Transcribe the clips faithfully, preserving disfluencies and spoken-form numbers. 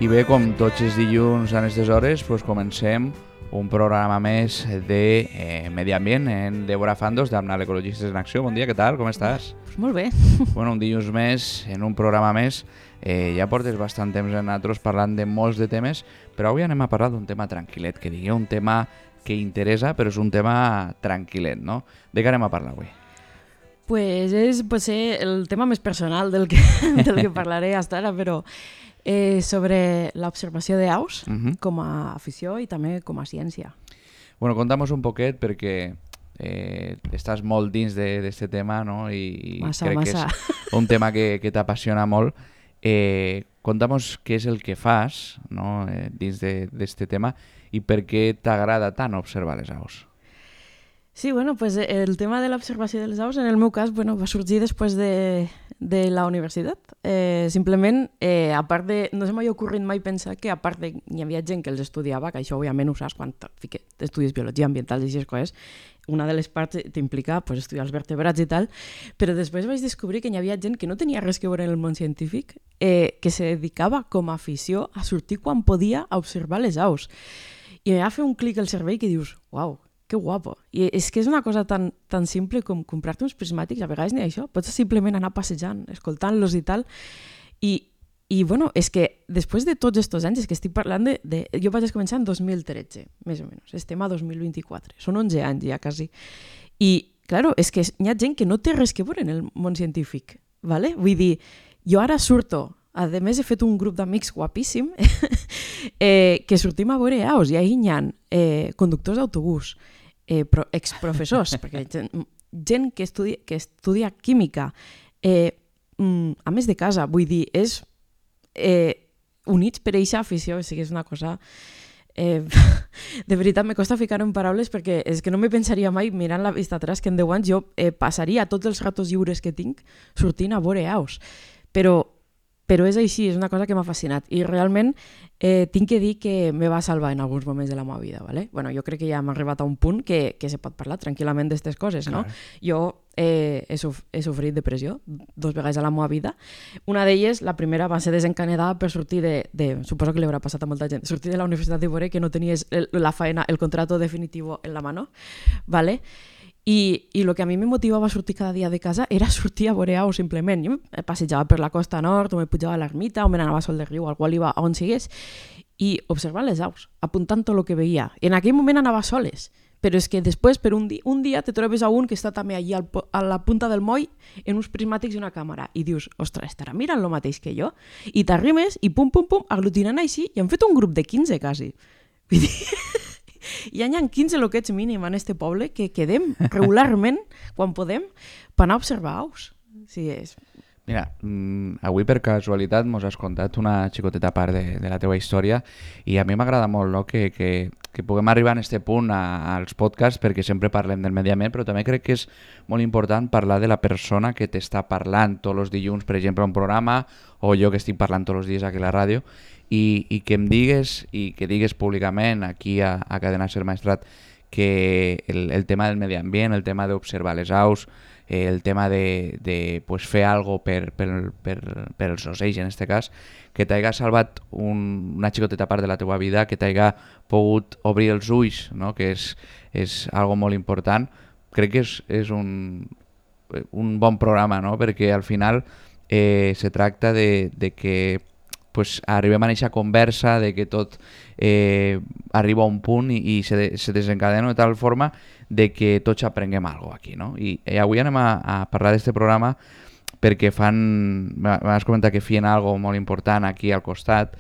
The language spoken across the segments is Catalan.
I bé, com tots els dilluns a aquestes hores, pues comencem un programa més de eh, Medi Ambient en Débora Fandos, d'Amnal Ecologistes en Acció. Bon dia, què tal? Com estàs? Pues molt bé. Bueno, un dilluns més, en un programa més. Eh, ja portes bastant temps en nosaltres parlant de molts de temes, però avui anem a parlar d'un tema tranquil·let, que digui un tema que interessa, però és un tema tranquil·let, no? De què anem a parlar avui? Pues és potser el tema més personal del que, del que parlaré fins ara, però eh, sobre l'observació d'aus Uh-huh. com a afició i també com a ciència. Bueno, contamos un poquet perquè eh, estàs molt dins d'aquest tema, no? I, i Massa, crec massa. que és un tema que, que t'apassiona molt. Eh, contamos què és el que fas, no? eh, dins d'aquest tema i per què t'agrada tant observar les aus. Sí, bueno, pues el tema de l'observació dels aus, en el meu cas, bueno, va sorgir després de, de la universitat. Eh, simplement, eh, a part de... No se m'ha ocorrit mai pensar que, a part de... Hi havia gent que els estudiava, que això, òbviament, ho saps, quan fique, estudies biologia ambiental i aquestes coses, una de les parts t'implica pues, estudiar els vertebrats i tal, però després vaig descobrir que hi havia gent que no tenia res que veure en el món científic, eh, que se dedicava com a afició a sortir quan podia a observar les aus. I em va fer un clic al cervell que dius, uau, que guapo. I és que és una cosa tan, tan simple com comprar-te uns prismàtics, a vegades ni això, pots simplement anar passejant, escoltant-los i tal, i, i bueno, és que després de tots aquests anys, és que estic parlant de, de... Jo vaig començar en dos mil tretze, més o menys, estem a dos mil vint-i-quatre, són onze anys ja quasi, i, claro, és que hi ha gent que no té res que veure en el món científic, ¿vale? Vull dir, jo ara surto, a més he fet un grup d'amics guapíssim, eh, que sortim a veure aus, i ahir hi ha eh, conductors d'autobús, eh, pro, exprofessors, perquè gent, gent que estudia, que estudia química, eh, mm, a més de casa, vull dir, és eh, units per eixa afició, o sigui, és una cosa... Eh, de veritat, me costa ficar-ho en paraules perquè és que no me pensaria mai, mirant la vista atrás, que en deu anys jo eh, passaria tots els ratos lliures que tinc sortint a veure aus. Però Però és així, és una cosa que m'ha fascinat. I realment eh, tinc que dir que me va salvar en alguns moments de la meva vida. ¿vale? Bueno, jo crec que ja hem arribat a un punt que, que se pot parlar tranquil·lament d'aquestes coses. No? Jo eh, he, suf he sofrit depressió dos vegades a la meva vida. Una d'elles, la primera, va ser desencadenada per sortir de, de... Suposo que li haurà passat a molta gent. Sortir de la Universitat de Bore, que no tenies el, la faena, el contrato definitivo en la mano. ¿Vale? I, i el que a mi me motivava a sortir cada dia de casa era sortir a veure aus, simplement. Jo me passejava per la costa nord, o me pujava a l'ermita, o me n'anava a Sol de Riu, al qual iba on sigués, i observant les aus, apuntant tot el que veia. I en aquell moment anava soles, però és que després, per un, di un dia, te trobes a un que està també allí al, a la punta del moll en uns prismàtics i una càmera, i dius, ostres, estarà mirant el mateix que jo? I t'arrimes, i pum, pum, pum, aglutinant així, i han fet un grup de quinze, quasi. Vull dir... Ja n'hi ha quinze loquets mínim en este poble que quedem regularment, quan podem, per anar a observar aus. Sí, és... Mira, mmm, avui per casualitat mos has contat una xicoteta part de, de la teva història i a mi m'agrada molt, no?, que, que, que puguem arribar a aquest punt a, als podcasts perquè sempre parlem del medi ambient, però també crec que és molt important parlar de la persona que t'està parlant tots els dilluns, per exemple, a un programa, o jo que estic parlant tots els dies aquí a la ràdio, i, i que em digues, i que digues públicament aquí a, a Cadena Ser Maestrat que el, el tema del medi ambient, el tema d'observar les aus, eh, el tema de, de pues, fer algo per, per, per, per els ocells en aquest cas, que t'haiga salvat un, una xicoteta part de la teva vida, que t'haiga pogut obrir els ulls, no? Que és, és algo molt important. Crec que és, és un, un bon programa, no? Perquè al final eh, se tracta de, de que pues, arribem a aquesta conversa, de que tot eh, arriba a un punt i, i se, de, se desencadena de tal forma de que tots aprenguem alguna cosa aquí, no? I, i avui anem a, a parlar d'aquest programa perquè fan... M'has comentat que feien algo molt important aquí al costat,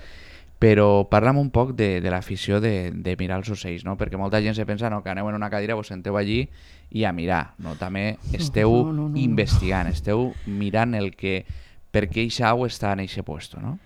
però parla'm un poc de, de l'afició de, de mirar els ocells, no? Perquè molta gent se pensa no, que aneu en una cadira, vos senteu allí i a mirar, no? També esteu no, no, no, investigant, esteu mirant el que... per què eixa au està en eixe puesto, no?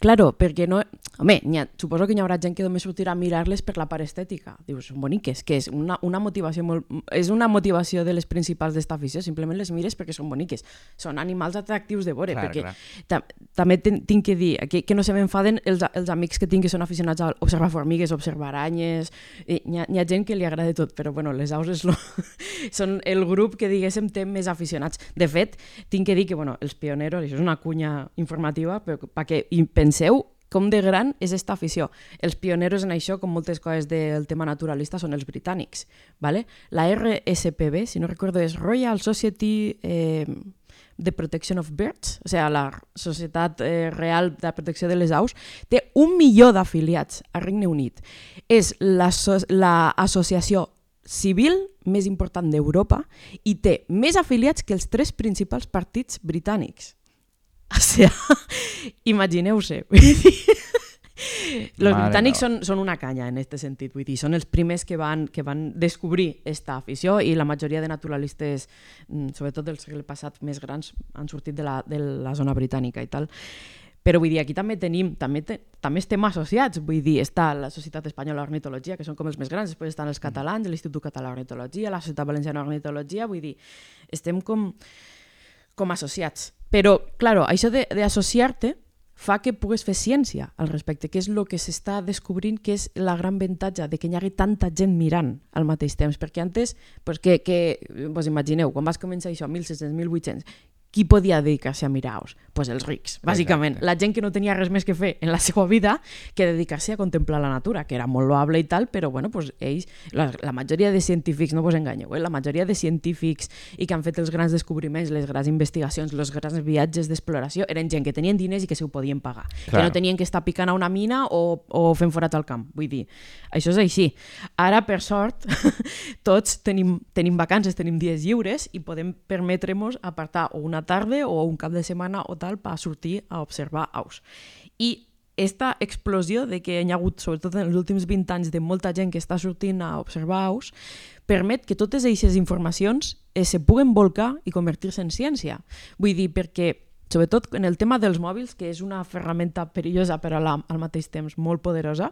Claro, perquè no... Home, ha, suposo que hi haurà gent que només sortirà a mirar-les per la part estètica. Dius, són boniques, que és una, una motivació molt... És una motivació de les principals d'esta afició, simplement les mires perquè són boniques. Són animals atractius de veure, clar, perquè clar. Ta també tinc que dir que, que no se m'enfaden els, els amics que tinc que són aficionats a observar formigues, observar aranyes... Hi ha, hi ha gent que li agrada tot, però bueno, les aus és lo... són el grup que, diguéssim, té més aficionats. De fet, tinc que dir que, bueno, els pioneros, això és una cunya informativa, però perquè penseu com de gran és esta afició. Els pioneros en això, com moltes coses del tema naturalista, són els britànics. ¿Vale? La R S P B, si no recordo, és Royal Society eh, de Protection of Birds, o sigui, la Societat eh, Real de Protecció de les Aus, té un milió d'afiliats al Regne Unit. És l'associació civil més important d'Europa i té més afiliats que els tres principals partits britànics. O sigui, imagineu-se. Los britànics són, són una canya en aquest sentit, vull dir, són els primers que van, que van descobrir aquesta afició i la majoria de naturalistes, sobretot del segle passat més grans, han sortit de la, de la zona britànica i tal. Però vull dir, aquí també tenim, també, te, també estem associats, vull dir, està la Societat Espanyola d'Ornitologia, que són com els més grans, després estan els catalans, l'Institut Català d'Ornitologia, la Societat Valenciana d'Ornitologia, vull dir, estem com, com associats. Però, clar, això d'associar-te fa que pugues fer ciència al respecte, que és el que s'està descobrint que és la gran avantatge de que hi hagi tanta gent mirant al mateix temps, perquè antes, pues que, que vos imagineu, quan vas començar això, mil sis-cents, mil vuit-cents, qui podia dedicar-se a mirar aus? Pues els rics, bàsicament. Exacte. La gent que no tenia res més que fer en la seva vida que dedicar-se a contemplar la natura, que era molt loable i tal, però bueno, pues ells, la, la majoria de científics, no vos enganyeu, eh? La majoria de científics i que han fet els grans descobriments, les grans investigacions, els grans viatges d'exploració, eren gent que tenien diners i que se ho podien pagar. Clar. Que no tenien que estar picant a una mina o, o fent forats al camp. Vull dir, això és així. Ara, per sort, tots tenim, tenim vacances, tenim dies lliures i podem permetre-nos apartar o una tarda o un cap de setmana o tal per sortir a observar aus. I esta explosió de que hi ha hagut, sobretot en els últims vint anys, de molta gent que està sortint a observar aus, permet que totes aquestes informacions eh, se puguen volcar i convertir-se en ciència. Vull dir, perquè sobretot en el tema dels mòbils, que és una ferramenta perillosa però la, al mateix temps molt poderosa,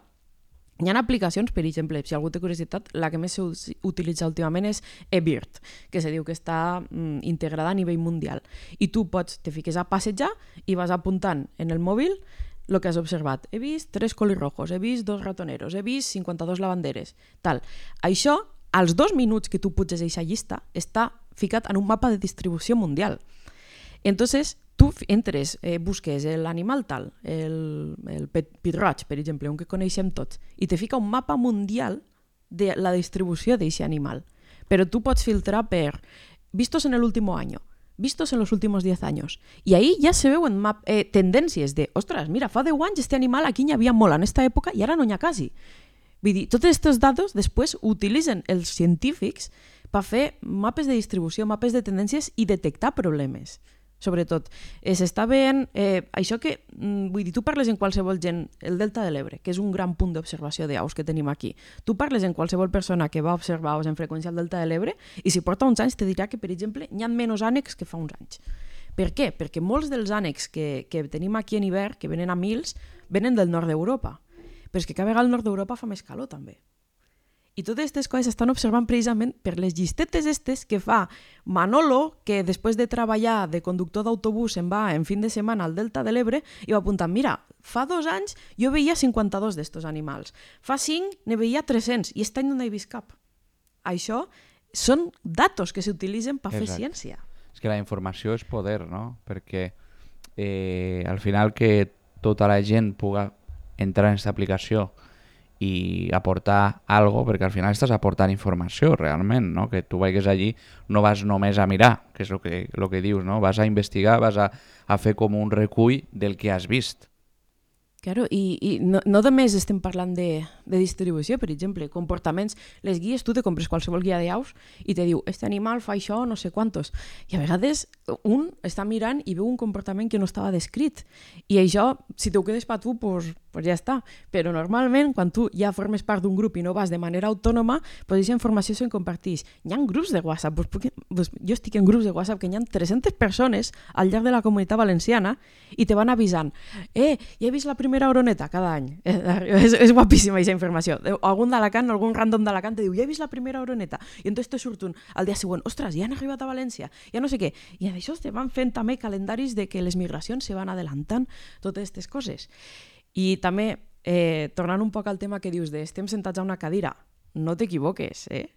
hi ha aplicacions, per exemple, si algú té curiositat, la que més s'utilitza últimament és eBird, que se diu que està mm, integrada a nivell mundial. I tu pots, te fiques a passejar i vas apuntant en el mòbil el que has observat. He vist tres colirrojos, he vist dos ratoneros, he vist cinquanta-dos lavanderes, tal. Això, als dos minuts que tu puges a aquesta llista, està ficat en un mapa de distribució mundial. Entonces, tu entres, eh, busques l'animal tal, el, el pit-roig, per exemple, un que coneixem tots, i te fica un mapa mundial de la distribució d'aquest animal. Però tu pots filtrar per vistos en el último año, vistos en los últimos diez años. I ahí ja se veuen map, eh, tendències de, ostres, mira, fa deu anys este animal aquí n'hi havia molt en aquesta època i ara no n'hi ha quasi. Vull dir, tots aquests dades després utilitzen els científics per fer mapes de distribució, mapes de tendències i detectar problemes. Sobretot, eh, s'està veient eh, això que, mm, vull dir, tu parles en qualsevol gent, el Delta de l'Ebre, que és un gran punt d'observació d'aus que tenim aquí, tu parles en qualsevol persona que va observar aus en freqüència al Delta de l'Ebre i si porta uns anys te dirà que, per exemple, hi ha menys ànecs que fa uns anys. Per què? Perquè molts dels ànecs que, que tenim aquí en hivern, que venen a mils, venen del nord d'Europa. Però és que cada vegada al nord d'Europa fa més calor, també. I totes aquestes coses s'estan observant precisament per les llistetes estes que fa Manolo, que després de treballar de conductor d'autobús se'n va en fin de setmana al Delta de l'Ebre i va apuntar, mira, fa dos anys jo veia cinquanta-dos d'estos animals, fa cinc ne veia tres-cents i aquest any no n'he vist cap. Això són datos que s'utilitzen per fer ciència. És que la informació és poder, no? Perquè eh, al final que tota la gent puga entrar en aquesta aplicació i aportar algo, perquè al final estàs aportant informació realment, no? Que tu vagis allí, no vas només a mirar, que és el que, lo que dius, no? Vas a investigar, vas a, a fer com un recull del que has vist. Claro, i, i no, no només estem parlant de, de distribució, per exemple, comportaments, les guies, tu te compres qualsevol guia d'aus i te diu, este animal fa això, no sé quantos. I a vegades un està mirant i veu un comportament que no estava descrit. I això, si t'ho quedes per tu, pues, pues ja està. Però normalment, quan tu ja formes part d'un grup i no vas de manera autònoma, pues aquesta informació se'n comparteix. Hi ha grups de WhatsApp, pues, porque, pues, jo estic en grups de WhatsApp que hi ha tres-centes persones al llarg de la comunitat valenciana i te van avisant, eh, ja he vist la primera oroneta cada any. És, és guapíssima aquesta informació. Algun d'Alacant, algun random d'Alacant te diu, ja he vist la primera oroneta. I entonces te surt un al dia següent, ostres, ja han arribat a València, ja no sé què. I d'això te van fent també calendaris de que les migracions se van adelantant, totes aquestes coses. I també, eh, tornant un poc al tema que dius de estem sentats a una cadira no t'equivoques, eh?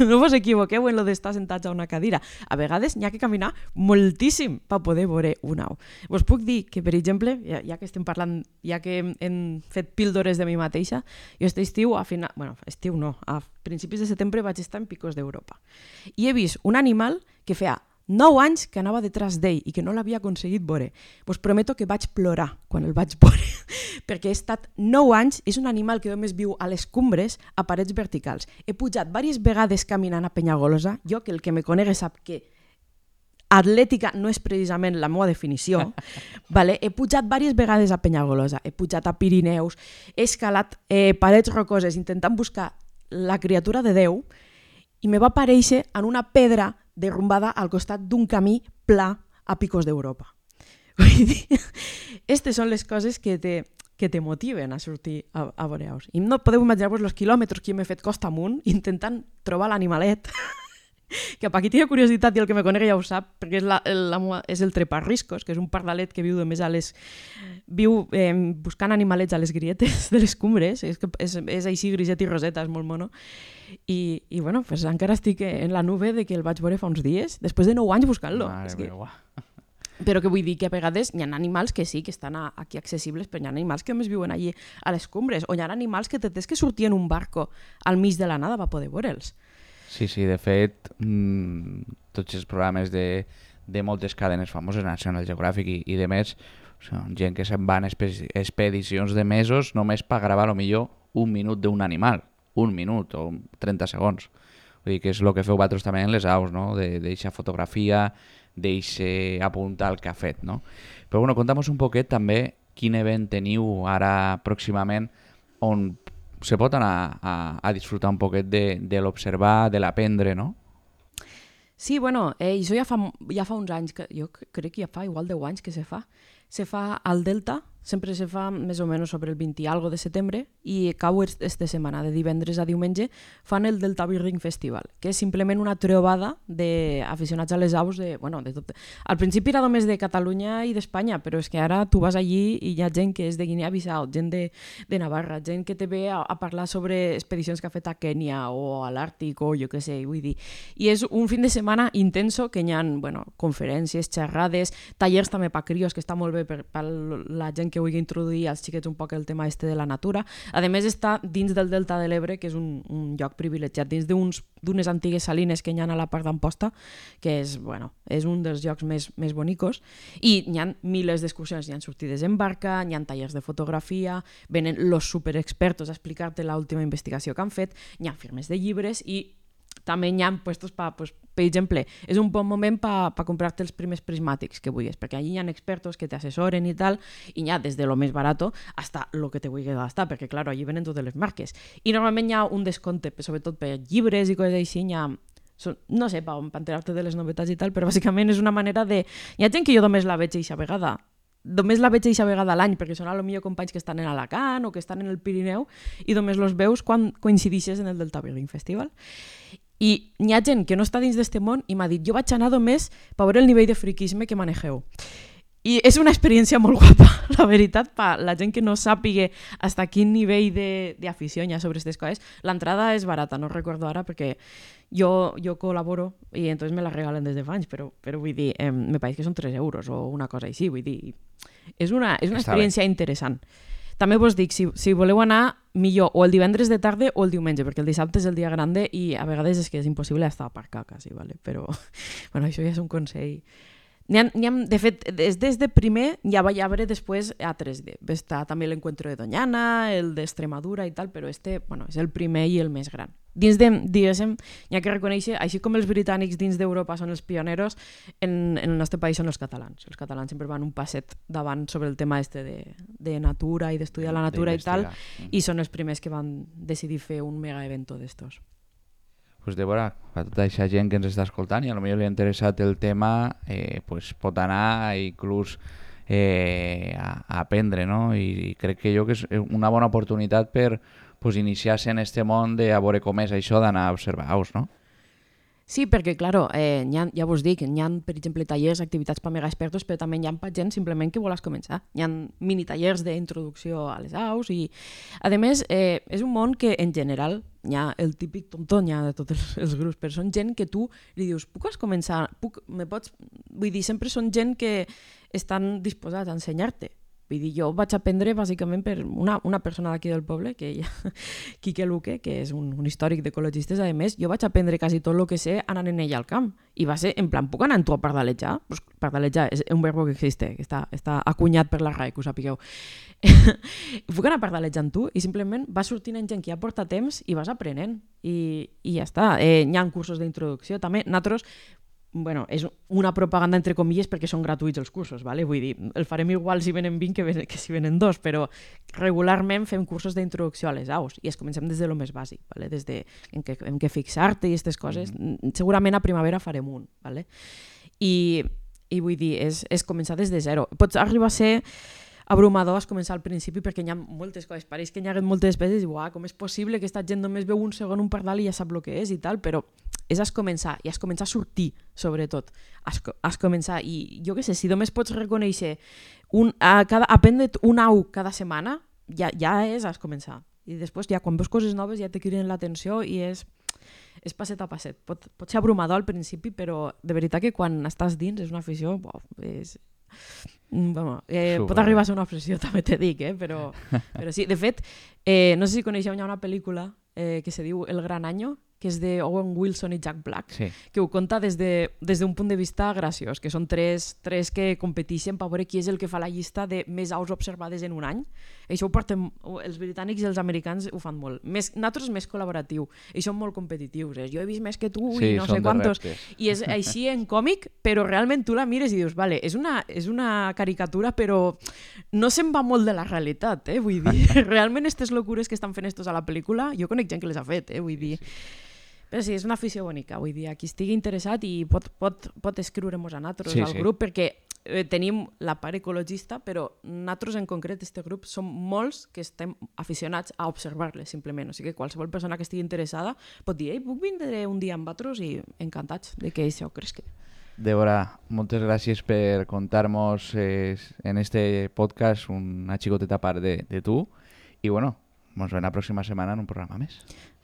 No vos equivoqueu en lo d'estar sentats a una cadira. A vegades n'hi ha que caminar moltíssim per poder veure una au. Vos puc dir que, per exemple, ja, ja que estem parlant, ja que hem, hem fet píldores de mi mateixa, jo este estiu, a final, bueno, estiu no, a principis de setembre vaig estar en Picos d'Europa. I he vist un animal que feia nou anys que anava detrás d'ell i que no l'havia aconseguit veure. Vos prometo que vaig plorar quan el vaig veure, perquè he estat nou anys, és un animal que només viu a les cumbres, a parets verticals. He pujat diverses vegades caminant a Penyagolosa, jo que el que me conegui sap que atlètica no és precisament la meva definició, vale? He pujat diverses vegades a Penyagolosa, he pujat a Pirineus, he escalat eh, parets rocoses intentant buscar la criatura de Déu i me va aparèixer en una pedra derrumbada al costat d'un camí pla a Picos d'Europa. Vull dir, aquestes són les coses que te, que te motiven a sortir a, a veure aus. I no podeu imaginar-vos els quilòmetres que m'he fet costa amunt intentant trobar l'animalet, que per qui tingui curiositat i el que me conegui ja ho sap, perquè és, la, la, és el treparriscos, que és un pardalet que viu només a les... viu eh, buscant animalets a les grietes de les cumbres, és, que és, és així griset i roseta, és molt mono. I, i bueno, pues encara estic en la nube de que el vaig veure fa uns dies, després de nou anys buscant-lo. Mare que... meva. Però que vull dir que a vegades hi ha animals que sí, que estan a, aquí accessibles, però hi ha animals que només viuen allí a les cumbres, o hi ha animals que te tens que sortir en un barco al mig de la nada per poder veure'ls. Sí, sí, de fet, mmm, tots els programes de, de moltes cadenes famoses, National Geographic i, i de més, són gent que se'n va en expedicions de mesos només per gravar a lo millor un minut d'un animal, un minut o trenta segons. Vull dir que és el que feu vosaltres també en les aus, no? D'eixa fotografia, d'eixe apuntar el que ha fet, no? Però bueno, conta'm un poquet també quin event teniu ara pròximament on se pot anar a, a disfrutar un poquet de, de l'observar, de l'aprendre, no? Sí, bueno, eh, això ja fa, ja fa uns anys, que jo crec que ja fa igual deu anys que se fa. Se fa al Delta, sempre se fa més o menys sobre el vint i algo de setembre i cau esta setmana, de divendres a diumenge, fan el Delta Birding Festival, que és simplement una trobada d'aficionats a les aus de, bueno, de tot. Al principi era només de Catalunya i d'Espanya, però és que ara tu vas allí i hi ha gent que és de Guinea-Bissau, gent de, de Navarra, gent que te ve a, a parlar sobre expedicions que ha fet a Kènia o a l'Àrtic o jo què sé, vull dir. I és un fin de setmana intenso que hi ha, bueno, conferències, xerrades, tallers també per crios, que està molt bé per, per la gent que vulgui introduir als xiquets un poc el tema este de la natura. A més, està dins del Delta de l'Ebre, que és un, un lloc privilegiat, dins d'unes antigues salines que hi ha a la part d'Amposta, que és, bueno, és un dels llocs més, més bonicos, i hi ha milers d'excursions, hi ha sortides en barca, hi ha tallers de fotografia, venen los superexpertos a explicar-te l'última investigació que han fet, hi ha firmes de llibres i també hi ha puestos per, pues, per exemple, és un bon moment per pa comprar-te els primers prismàtics que vulguis, perquè allí hi ha expertos que t'assessoren i tal, i hi ha des de lo més barato hasta lo que te vulguis gastar, perquè, clar, allí venen totes les marques. I normalment hi ha un descompte, sobretot per llibres i coses així, hi ha, no sé, per enterar-te de les novetats i tal, però bàsicament és una manera de... Hi ha gent que jo només la veig eixa vegada, només la veig eixa vegada a l'any, perquè són a lo millor companys que estan en Alacant o que estan en el Pirineu, i només los veus quan coincidixes en el Delta Birding Festival. I hi ha gent que no està dins d'este món i m'ha dit, jo vaig anar només per veure el nivell de friquisme que manegeu. I és una experiència molt guapa, la veritat, per la gent que no sàpiga hasta quin nivell d'afició hi ha sobre aquestes coses. L'entrada és barata, no recordo ara, perquè jo, jo col·laboro i entonces me la regalen des de fa anys, però, però vull dir, eh, me pareix que són tres euros o una cosa així, vull dir, és una, és una experiència interessant. També vos dic, si, si voleu anar, millor o el divendres de tarda o el diumenge, perquè el dissabte és el dia grande i a vegades és que és impossible estar a aparcar quasi, vale? Però bueno, això ja és un consell. N'hi ha, n'hi ha, de fet, des, des de primer ja va haver després a tres D. Està també l'Encuentro de Doñana, el d'Extremadura i tal, però este, bueno, és el primer i el més gran. Dins de, diguéssim, hi ha que reconèixer, així com els britànics dins d'Europa són els pioneros, en, en el nostre país són els catalans. Els catalans sempre van un passet davant sobre el tema este de, de natura i d'estudiar la natura i tal, i són els primers que van decidir fer un mega evento d'estos. Pues Débora, a tota aquesta gent que ens està escoltant i a lo millor li ha interessat el tema, eh, pues pot anar inclús eh, a, a aprendre, no? I crec que jo que és una bona oportunitat per pues, iniciar-se en este món de a veure com és això d'anar a observar aus, no? Sí, perquè, claro, eh, ha, ja vos dic, hi ha, per exemple, tallers, activitats per mega expertos, però també hi ha per gent simplement que vols començar. Hi ha mini tallers d'introducció a les aus i, a més, eh, és un món que, en general, hi ha el típic tonton, hi ha de tots els, els grups, però són gent que tu li dius, puc començar? Puc, me pots... Vull dir, sempre són gent que estan disposats a ensenyar-te. Vull dir, jo vaig aprendre bàsicament per una, una persona d'aquí del poble, que ja, Quique Luque, que és un, un històric d'ecologistes, a més, jo vaig aprendre quasi tot el que sé anant en ella al camp. I va ser, en plan, puc anar amb tu a pardalejar? Pues pardalejar és un verbo que existe, que està, està acunyat per la R A E, que ho sapigueu. Puc anar a pardalejar amb tu? I simplement vas sortint en gent que ja porta temps i vas aprenent. I, i ja està. Eh, hi ha cursos d'introducció. També, nosaltres, bueno, és una propaganda entre comilles perquè són gratuïts els cursos, ¿vale? Vull dir, el farem igual si venen vint que, que si venen dos, però regularment fem cursos d'introducció a les aus i es comencem des de lo més bàsic, ¿vale? Des de en què, en què fixar-te i aquestes coses. Mm. Segurament a primavera farem un, ¿vale? I, i vull dir, és, és començar des de zero. Pots arribar a ser abrumador es començar al principi perquè hi ha moltes coses, pareix que hi ha moltes despeses i uah, com és possible que aquesta gent només veu un segon un pardal i ja sap el que és i tal, però és has començar, i has començar a sortir, sobretot. Has, has començar, i jo què sé, si només pots reconèixer un, a cada, aprendre't un au cada setmana, ja, ja és has començar. I després ja quan veus coses noves ja te criden l'atenció i és, és passet a passet. Pot, pot ser abrumador al principi, però de veritat que quan estàs dins és una afició, bo, és... Bueno, eh, pot arribar a ser una obsessió, també te dic, eh? però, però sí. De fet, eh, no sé si coneixeu, hi ha una pel·lícula eh, que se diu El Gran Año, que és de Owen Wilson i Jack Black, sí. Que ho conta des de, des d'un punt de vista graciós, que són tres, tres que competeixen per veure qui és el que fa la llista de més aus observades en un any. Això ho porten, els britànics i els americans ho fan molt. Més, nosaltres és més col·laboratiu, i són molt competitius. Eh? Jo he vist més que tu sí, i no sé quantos. I és així en còmic, però realment tu la mires i dius, vale, és una, és una caricatura, però no se'n va molt de la realitat, eh? Vull dir, realment aquestes locures que estan fent estos a la pel·lícula, jo conec gent que les ha fet, eh? Vull dir... Però sí, és una afició bonica, vull dir, qui estigui interessat i pot, pot, pot escriure-nos a nosaltres sí, al grup, sí. Perquè eh, tenim la part ecologista, però nosaltres en concret, este grup, som molts que estem aficionats a observar-les, simplement. O sigui que qualsevol persona que estigui interessada pot dir, ei, puc vindre un dia amb vosaltres i encantats de que això cresqui. Débora, moltes gràcies per contar-nos eh, en este podcast una xicoteta part de, de tu i bueno, ens veiem la pròxima setmana en un programa més.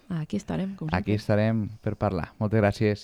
Aquí estarem, com sempre. Aquí estarem per parlar. Moltes gràcies.